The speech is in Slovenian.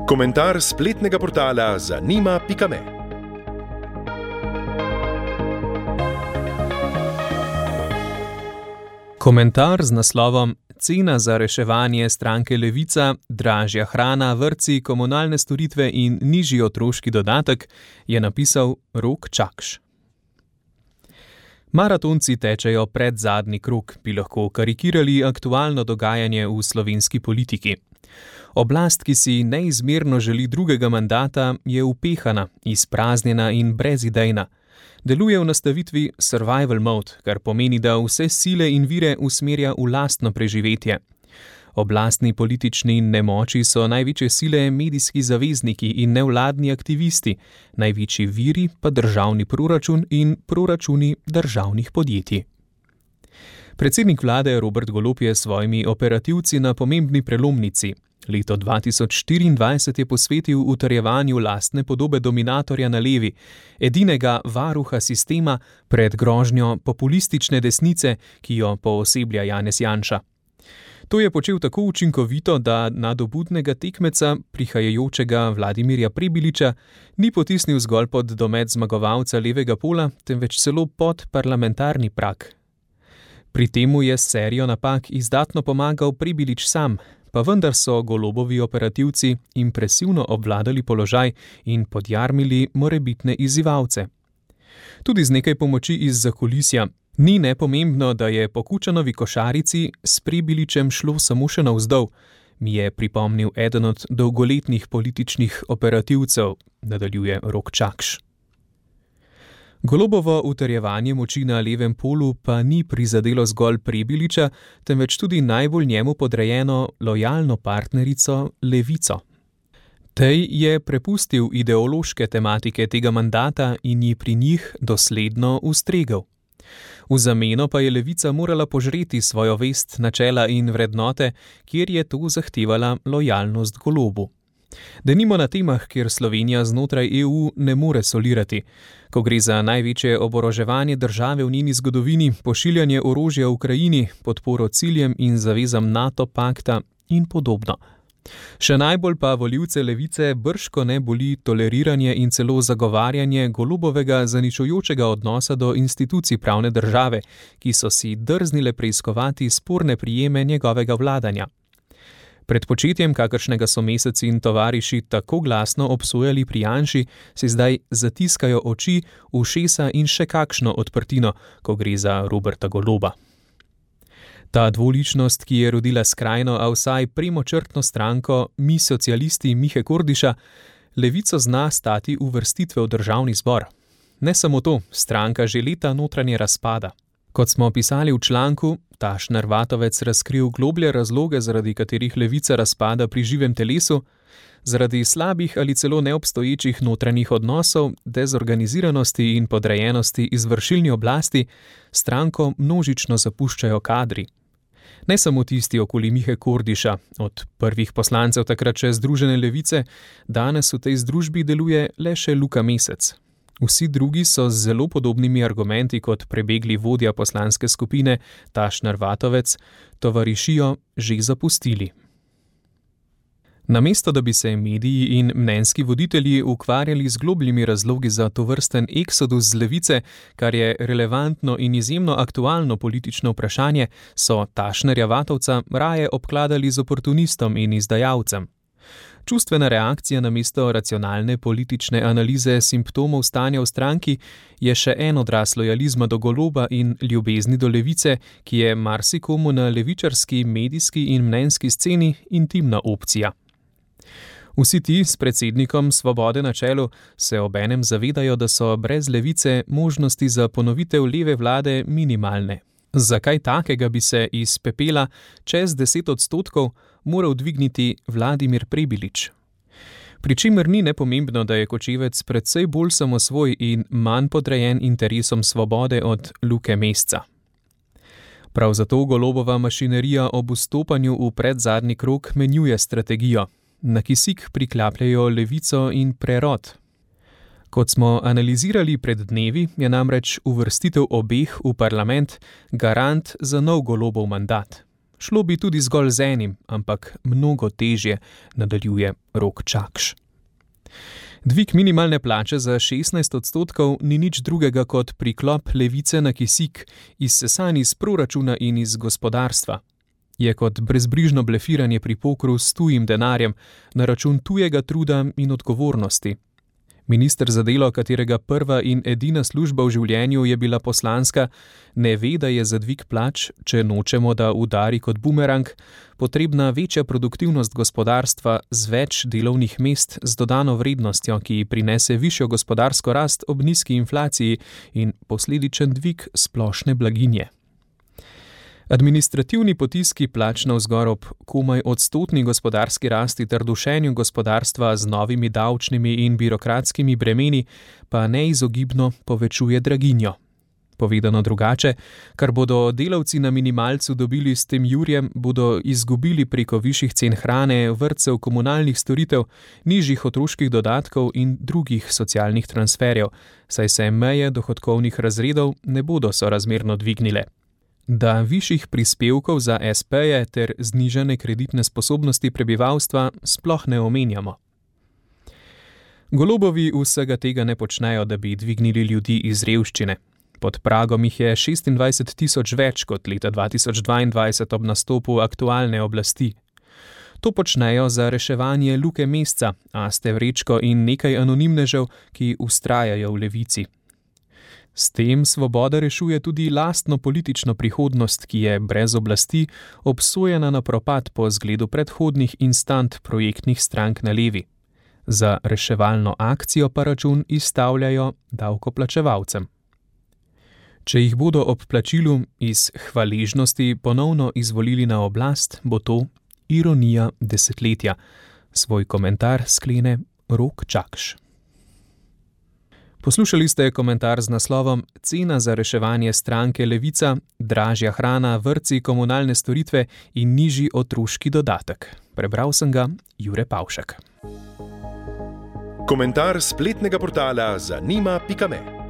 Komentar spletnega portala zanima.me. Komentar z naslovom Cena za reševanje stranke Levica, dražja hrana, vrtci, komunalne storitve in nižji otroški dodatek je napisal Rok Čakš. Maratonci tečejo predzadnji krog, bi lahko karikirali aktualno dogajanje v slovenski politiki. Oblast, ki si neizmerno želi drugega mandata, je upehana, izpraznjena in brezidejna. Deluje v nastavitvi survival mode, kar pomeni, da vse sile in vire usmerja v lastno preživetje. Oblastni politični nemoči so največje sile medijski zavezniki in nevladni aktivisti, največji viri pa državni proračun in proračuni državnih podjetij. Predsednik vlade Robert Golob je s svojimi operativci na pomembni prelomnici. Leto 2024 je posvetil utrjevanju lastne podobe dominatorja na levi, edinega varuha sistema pred grožnjo populistične desnice, ki jo pooseblja Janez Janša. To je počel tako učinkovito, da nadobudnega tekmeca, prihajajočega Vladimirja Prebiliča, ni potisnil zgolj pod domet zmagovalca levega pola, temveč celo pod parlamentarni prag. Pri temu je s serijo napak izdatno pomagal Prebilič sam, pa vendar so Golobovi operativci impresivno obvladali položaj in podjarmili morebitne izzivalce. Tudi z nekaj pomoči iz zakulisja. Ni nepomembno, da je po Kučanovi košarici s Prebiličem šlo samo še navzdol, mi je pripomnil eden od dolgoletnih političnih operativcev, nadaljuje Rok Čakš. Golobovo utrjevanje moči na levem polu pa ni prizadelo zgolj Prebiliča, temveč tudi najbolj njemu podrejeno lojalno partnerico Levico. Tej je prepustil ideološke tematike tega mandata in ji pri njih dosledno ustregel. V zameno pa je Levica morala požreti svojo vest, načela in vrednote, kjer je to zahtevala lojalnost Golobu. Denimo na temah, kjer Slovenija znotraj EU ne more solirati, ko gre za največje oboroževanje države v njeni zgodovini, pošiljanje orožja v Ukrajini, podporo ciljem in zavezam NATO pakta in podobno. Še najbolj pa volivce Levice brško ne boli toleriranje in celo zagovarjanje Golobovega zaničujočega odnosa do institucij pravne države, ki so si drznile preiskovati sporne prijeme njegovega vladanja. Pred početjem, kakršnega so Mesec in tovariši tako glasno obsojali pri Janši, si zdaj zatiskajo oči, ušesa in še kakšno odprtino, ko gre za Roberta Goloba. Ta dvoličnost, ki je rodila skrajno, a vsaj premočrtno stranko Mi socialisti Mihe Kordiša, Levico zna stati uvrstitve v državni zbor. Ne samo to, stranka že leta notranje razpada. Kot smo pisali v članku, Tašner Vatovec razkril globlje razloge, zaradi katerih Levica razpada pri živem telesu, zaradi slabih ali celo neobstoječih notranjih odnosov, dezorganiziranosti in podrejenosti izvršilni oblasti, stranko množično zapuščajo kadri. Ne samo tisti okoli Mihe Kordiša, od prvih poslancev takrat še Združene levice, danes v tej združbi deluje le še Luka Mesec. Vsi drugi so z zelo podobnimi argumenti kot prebegli vodja poslanske skupine Tašner Vatovec tovarišijo že zapustili. Namesto da bi se mediji in mnenjski voditelji ukvarjali z globljimi razlogi za tovrsten eksodus z levice, kar je relevantno in izjemno aktualno politično vprašanje, so Tašnerja Vatovca raje obkladali z oportunistom in izdajalcem. Čustvena reakcija namesto racionalne politične analize simptomov stanja v stranki je še en odraz lojalizma do Goloba in ljubezni do levice, ki je marsikomu na levičarski, medijski in mnenjski sceni intimna opcija. Vsi ti s predsednikom Svobode na čelu se obenem zavedajo, da so brez levice možnosti za ponovitev leve vlade minimalne. Zakaj takega bi se iz pepela čez 10% moral dvigniti Vladimir Prebilič? Pričemer ni nepomembno, da je Kočevec precej bolj samosvoj in manj podrejen interesom Svobode od Luke Mesca. Prav zato Golobova mašinerija ob vstopanju v predzadnji krog menjuje strategijo. Na kisik priklapljajo levico in prerod. Kot smo analizirali pred dnevi, je namreč uvrstitev obeh v parlament garant za nov Golobov mandat. Šlo bi tudi zgolj z enim, ampak mnogo težje, nadaljuje Rok Čakš. Dvig minimalne plače za 16% ni nič drugega kot priklop levice na kisik, izsesan iz proračuna in iz gospodarstva. Je kot brezbrižno blefiranje pri pokru s tujim denarjem na račun tujega truda in odgovornosti. Minister za delo, katerega prva in edina služba v življenju je bila poslanska, ne ve, da je za dvig plač, če nočemo, da udari kot bumerang, potrebna večja produktivnost gospodarstva z več delovnih mest z dodano vrednostjo, ki prinese višjo gospodarsko rast ob nizki inflaciji in posledičen dvig splošne blaginje. Administrativni potiski plač navzgor ob komaj odstotni gospodarski rasti ter dušenju gospodarstva z novimi davčnimi in birokratskimi bremeni pa neizogibno povečuje draginjo. Povedano drugače, kar bodo delavci na minimalcu dobili s tem jurjem, bodo izgubili preko višjih cen hrane, vrtcev, komunalnih storitev, nižjih otroških dodatkov in drugih socialnih transferjev, saj se meje dohodkovnih razredov ne bodo sorazmerno dvignile. Da višjih prispevkov za SP-je ter znižane kreditne sposobnosti prebivalstva sploh ne omenjamo. Golobovi vsega tega ne počnejo, da bi dvignili ljudi iz revščine. Pod pragom jih je 26 tisoč več kot leta 2022 ob nastopu aktualne oblasti. To počnejo za reševanje Luke Mesca, Aste Vrečko in nekaj anonimnežev, ki vztrajajo v levici. S tem Svoboda rešuje tudi lastno politično prihodnost, ki je brez oblasti obsojena na propad po zgledu predhodnih instant projektnih strank na levi. Za reševalno akcijo pa račun izstavljajo davkoplačevalcem. Če jih bodo ob plačilu iz hvaležnosti ponovno izvolili na oblast, bo to ironija desetletja. Svoj komentar sklene Rok Čakš. Poslušali ste komentar z naslovom Cena za reševanje stranke Levica, dražja hrana, vrtci, komunalne storitve in nižji otroški dodatek. Prebral sem ga Jure Pavšek. Komentar spletnega portala zanima.me